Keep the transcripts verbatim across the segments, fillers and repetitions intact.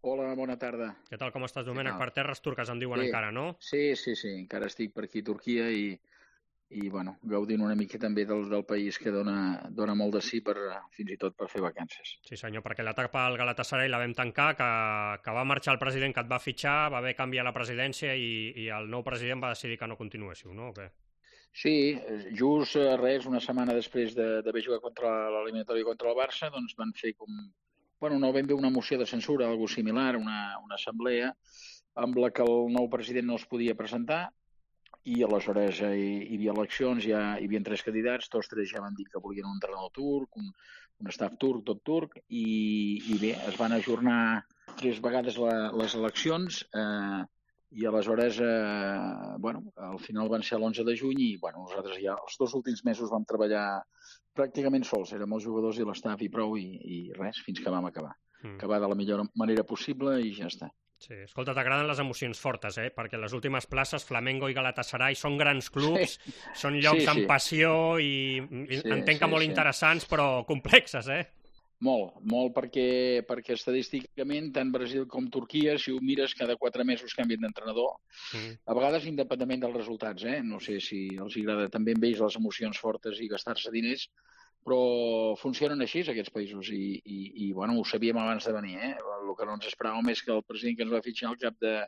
Hola, bona tarda. Què tal, com estàs, Què Domènec? tal? Per terres turques em diuen Bé, encara, no? sí, sí, sí, encara estic per aquí a Turquia i, i bueno, gaudint una mica també del, del país que dona, dona molt de sí per, eh, fins i tot per fer vacances. Sí, senyor, perquè l'etapa al Galatasaray la vam tancar, que, que va marxar el president que et va fitxar, va haver canviar la presidència i, i el nou president va decidir que no continuéssiu, no? O què? Sí, eh, just eh, res, una setmana després de- d'haver jugat contra l'eliminatori contra el Barça, doncs van fer com, bueno, no ben bé una moció de censura, algo similar, una, una assemblea, amb la que el nou president no es podia presentar. I aleshores eh, hi, hi havia eleccions, ja hi havia tres candidats, tots tres ja van dir que volien un entrenador turc, un, un staff turc, tot turc, i, i bé, es van ajornar tres vegades la, les eleccions, eh, i aleshores, eh, bueno, al final van ser l'onze de juny i, bueno, nosaltres ja els dos últims mesos vam treballar pràcticament sols, érem els jugadors i l'estaf i prou, i, i res, fins que vam acabar. Mm. Acabar de la millor manera possible i ja està. Sí, escolta, t'agraden les emocions fortes, eh? Perquè les últimes places, Flamengo i Galatasaray, són grans Sí, clubs, són sí, llocs amb sí, passió i, i sí, entenc que sí, molt sí. interessants, però complexes, eh? Molt, molt perquè, perquè estadísticament tant Brasil com Turquia, si ho mires, cada quatre mesos canvien d'entrenador, Mm. a vegades independentment dels resultats, eh? No sé si els agrada també amb ells les emocions fortes i gastar-se diners, però funcionen així aquests països i, i, i bueno, ho sabíem abans de venir, eh? El que no ens esperàvem és que el president que ens va fitxar al cap de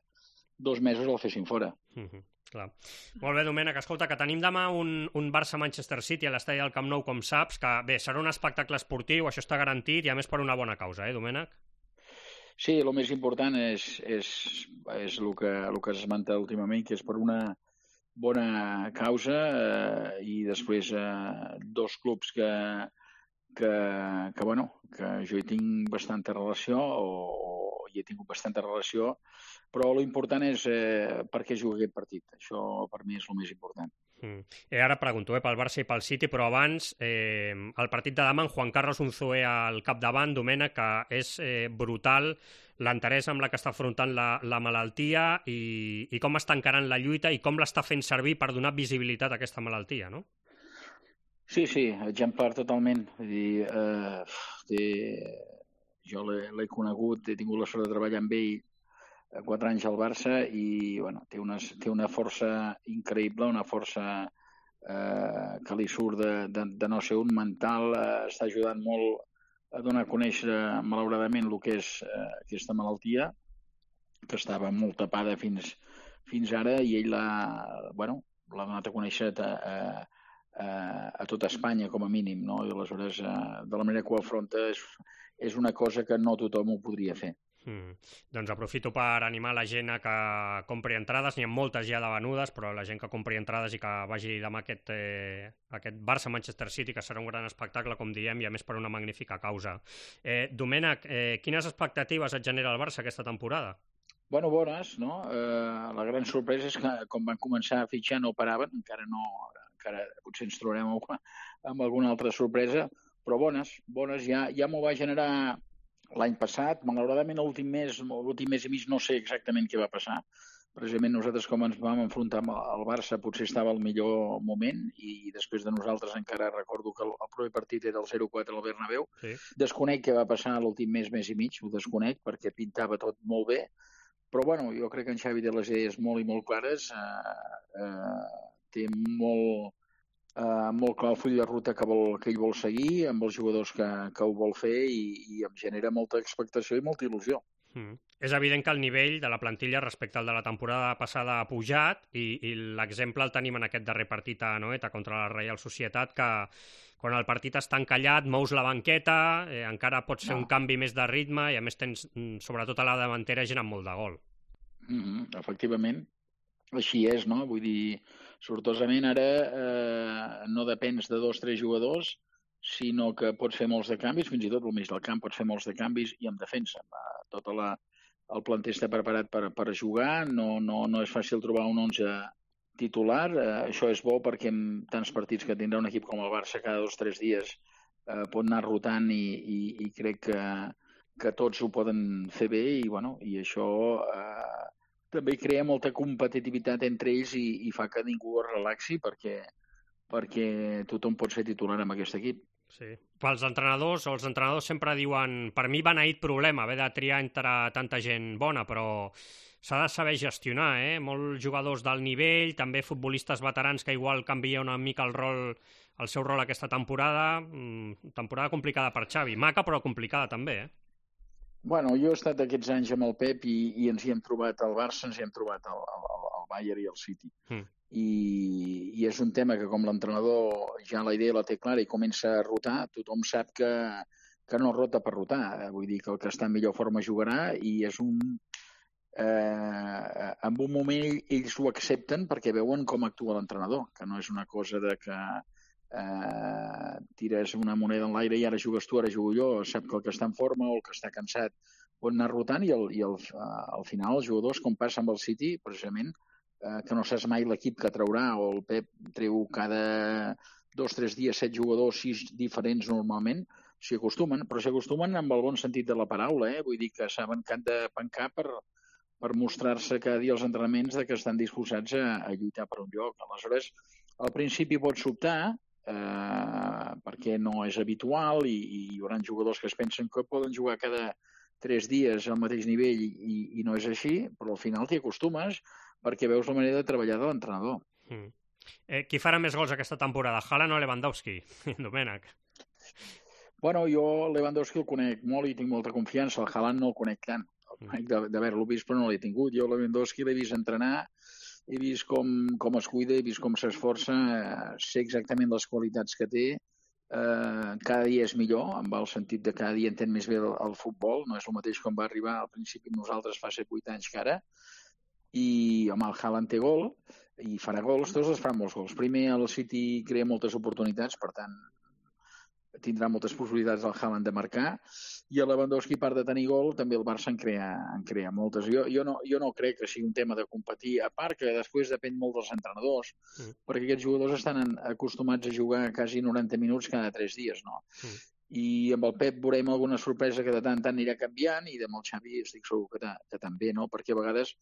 dos mesos el fessin fora. Mm -hmm. Clar. Molt bé, Domènec, escolta, que tenim demà un, un Barça-Manchester City a l'estadi del Camp Nou, com saps, que bé, serà un espectacle esportiu, això està garantit, i a més per una bona causa, eh, Domènec? Sí, el més important és, és, és el que, el que es esmenta últimament, que és per una bona causa, eh, i després eh, dos clubs que, que, que, bueno, que jo hi tinc bastanta relació o, o hi he tingut bastanta relació, però l'important és eh, per què juga aquest partit. Això per mi és el més important. Mm. Eh, ara pregunto eh, pel Barça i pel City, però abans eh, el partit de demà amb Juan Carlos Unzué al capdavant, Domènec, que és eh, brutal l'interès amb la que està afrontant la, la malaltia i, i com està encarant la lluita i com l'està fent servir per donar visibilitat a aquesta malaltia, no? Sí, sí, exemplar totalment. Vull dir, eh, té, jo l'he conegut, he tingut la sort de treballar amb ell quatre anys al Barça i bueno, té, unes, té una força increïble, una força eh, que li surt de, de, de no ser un mental, eh, està ajudant molt a donar a conèixer malauradament el que és eh, aquesta malaltia, que estava molt tapada fins, fins ara i ell l'ha bueno, l'ha donat a conèixer a, a, a tota Espanya com a mínim, no? I aleshores eh, de la manera que ho afronta és, és una cosa que no tothom ho podria fer. Mm. Doncs aprofito per animar la gent a que compri entrades, n'hi ha moltes ja de venudes, però la gent que compri entrades i que vagi demà aquest, eh, aquest Barça-Manchester City, que serà un gran espectacle, com diem, i a més per una magnífica causa. Eh, Domènec, eh, quines expectatives et genera el Barça aquesta temporada? Bueno, bones, no? Eh, la gran sorpresa és que com van començar a fitxar no paraven, encara no, encara potser ens trobarem amb, amb alguna altra sorpresa, però bones, bones. Ja, ja m'ho va generar l'any passat, malauradament l'últim mes, l'últim mes i mig no sé exactament què va passar. Precisament nosaltres com ens vam enfrontar amb el Barça potser estava al millor moment i després de nosaltres encara recordo que el, el proper partit era el zero quatre al Bernabéu. Sí. Desconec què va passar l'últim mes, mes i mig, ho desconec perquè pintava tot molt bé, però bueno, jo crec que en Xavi té les idees molt i molt clares, eh, eh, té molt, eh, molt clar el full de ruta que, vol, que ell vol seguir, amb els jugadors que, que ho vol fer i, i em genera molta expectació i molta il·lusió. Mm. És evident que el nivell de la plantilla respecte al de la temporada passada ha pujat i, i l'exemple el tenim en aquest darrer partit a Anoeta contra la Reial Societat, que quan el partit està encallat mous la banqueta, eh, encara pots fer No. un canvi més de ritme i a més tens, sobretot a la davantera, gent amb molt de gol. Mm -hmm, efectivament, així és, no? Vull dir, sortosament ara eh, no depens de dos o tres jugadors, sinó que pots fer molts de canvis, fins i tot al mig del camp pots fer molts de canvis i en defensa. Tota la, el planter està preparat per, per jugar, no, no, no és fàcil trobar un onze titular, eh, això és bo perquè en tants partits que tindrà un equip com el Barça cada dos o tres dies eh, pot anar rotant i, i, i crec que, que tots ho poden fer bé i, bueno, i això eh, també crea molta competitivitat entre ells i, i fa que ningú es relaxi perquè, perquè tothom pot ser titular amb aquest equip. Sí. Pels entrenadors, o els entrenadors sempre diuen per mi beneït problema haver de triar entre tanta gent bona, però s'ha de saber gestionar, eh? Molts jugadors d'alt nivell, també futbolistes veterans que igual canvia una mica el rol, el seu rol aquesta temporada. Mm, temporada complicada per Xavi. Maca, però complicada també, eh? Bueno, jo he estat aquests anys amb el Pep i, i ens hi hem trobat al Barça, ens hi hem trobat al, al, al Bayern i al City. Mm. I, I és un tema que com l'entrenador ja la idea la té clara i comença a rotar, tothom sap que, que no rota per rotar. Vull dir que el que està en millor forma jugarà i és un... Eh, en un moment ells ho accepten perquè veuen com actua l'entrenador, que no és una cosa de que eh, tires una moneda en l'aire i ara jugues tu, ara jugo jo, sap que el que està en forma o el que està cansat pot anar rotant i, el, i el, uh, al final els jugadors, com passa amb el City, precisament, eh, que no saps mai l'equip que traurà, o el Pep treu cada dos o tres dies set jugadors, sis diferents normalment, s'hi acostumen, però s'hi acostumen amb el bon sentit de la paraula, eh? Vull dir que saben que han de pencar per, per mostrar-se cada dia als entrenaments de que estan disposats a, a lluitar per un lloc. Aleshores, al principi pot sobtar, eh, perquè no és habitual i, i hi haurà jugadors que es pensen que poden jugar cada tres dies al mateix nivell i, i no és així, però al final t'hi acostumes perquè veus la manera de treballar de l'entrenador. Mm. Eh, qui farà més gols aquesta temporada, Haaland o Lewandowski, Domènec? Bueno, jo Lewandowski el conec molt i tinc molta confiança, el Haaland no el conec tant, el conec d'haver-lo vist però no l'he tingut. Jo Lewandowski l'he vist entrenar, he vist com, com es cuida, he vist com s'esforça, eh, sé exactament les qualitats que té, eh, cada dia és millor, amb el sentit de cada dia entén més bé el, el futbol, no és el mateix com va arribar al principi nosaltres fa set vuit anys que ara, i home, el Haaland té gol i farà gols, tots els faran molts gols. Primer el City crea moltes oportunitats, per tant tindrà moltes possibilitats el Haaland de marcar, i el Lewandowski, a part de tenir gol, també el Barça en crea, en crea moltes. Jo, jo, no, jo no crec que sigui un tema de competir, a part que després depèn molt dels entrenadors, mm. perquè aquests jugadors estan acostumats a jugar quasi noranta minuts cada tres dies, no? Mm. I amb el Pep veurem alguna sorpresa que de tant en tant anirà canviant, i amb el Xavi estic segur que, que també, no? Perquè a vegades,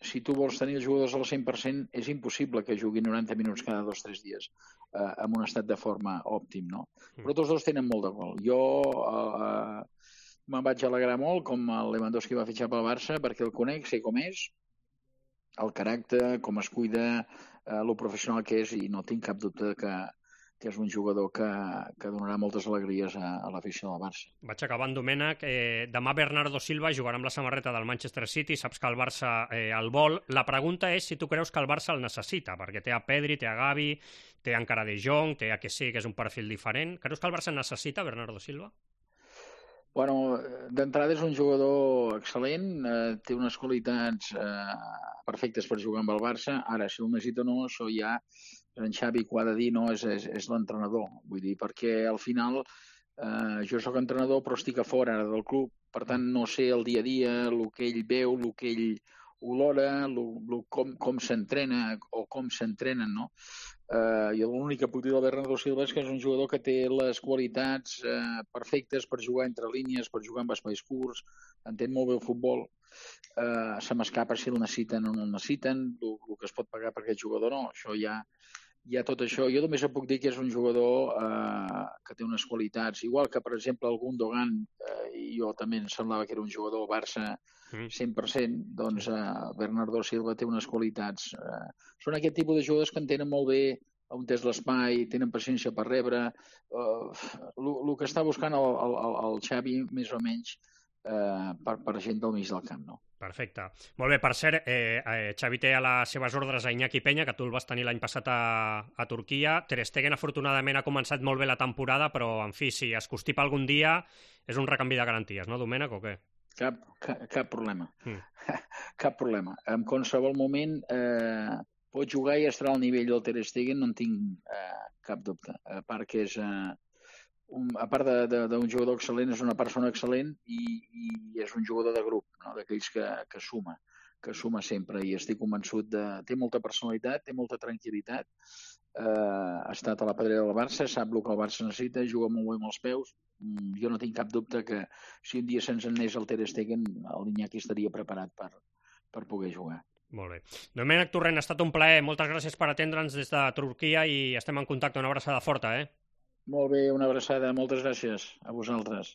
si tu vols tenir els jugadors al cent per cent, és impossible que juguin noranta minuts cada dos o tres dies eh, en un estat de forma òptim, no? Però tots dos tenen molt de gol. Jo eh, me'n vaig alegrar molt com el Lewandowski va fitxar pel Barça perquè el conec, sé com és, el caràcter, com es cuida, eh, lo professional que és, i no tinc cap dubte que, que és un jugador que, que donarà moltes alegries a, a l'afició del Barça. Vaig acabant, Domènec. Eh, demà Bernardo Silva jugarà amb la samarreta del Manchester City, saps que el Barça eh, el vol. La pregunta és si tu creus que el Barça el necessita, perquè té a Pedri, té a Gavi, té encara De Jong, té a que sí, que és un perfil diferent. Creus que el Barça necessita Bernardo Silva? Bueno, d'entrada és un jugador excel·lent, eh, té unes qualitats eh, perfectes per jugar amb el Barça. Ara, si el necessita o no, això ja en Xavi que ho ha de dir, no, és, és, és l'entrenador. Vull dir, perquè al final eh, jo sóc entrenador però estic a fora ara del club, per tant no sé el dia a dia, el que ell veu, el que ell olora, lo, lo, com, com s'entrena o com s'entrenen, no? Eh, jo l'únic que puc dir del Bernardo Silva és que és un jugador que té les qualitats eh, perfectes per jugar entre línies, per jugar amb espais curts, entén molt bé el futbol, eh, se m'escapa si el necessiten o no el necessiten, el, el que es pot pagar per aquest jugador no, això ja, ja tot això. Jo només puc dir que és un jugador eh, que té unes qualitats, igual que per exemple el Gundogan, eh, jo també em semblava que era un jugador Barça cent per cent, doncs eh, Bernardo Silva té unes qualitats. Eh, són aquest tipus de jugadors que entenen molt bé on és l'espai, tenen paciència per rebre. El uh, que està buscant el, el, el Xavi, més o menys, eh, per, per gent del mig del camp, no? Perfecte. Molt bé, per cert, eh, eh, Xavi té a les seves ordres a Iñaki Peña, que tu el vas tenir l'any passat a, a Turquia. Ter Stegen, afortunadament, ha començat molt bé la temporada, però, en fi, si es constipa algun dia, és un recanvi de garanties, no, Domènec, o què? Cap, cap, cap problema. Mm. Cap problema. En qualsevol moment eh, pot jugar i estarà al nivell del Ter Stegen, no en tinc eh, cap dubte. A part que és... Eh, un, a part d'un jugador excel·lent, és una persona excel·lent i, i és un jugador de grup, no? D'aquells que, que suma, que suma sempre, i estic convençut de... Té molta personalitat, té molta tranquil·litat, eh, ha estat a la pedrera del Barça, sap el que el Barça necessita, juga molt bé amb els peus. Jo no tinc cap dubte que si un dia se'ns anés el Ter Stegen, l'Iñaki estaria preparat per, per poder jugar. Molt bé. Domènec Torrent, ha estat un plaer. Moltes gràcies per atendre'ns des de Turquia i estem en contacte. Una abraçada forta, eh? Molt bé, una abraçada. Moltes gràcies a vosaltres.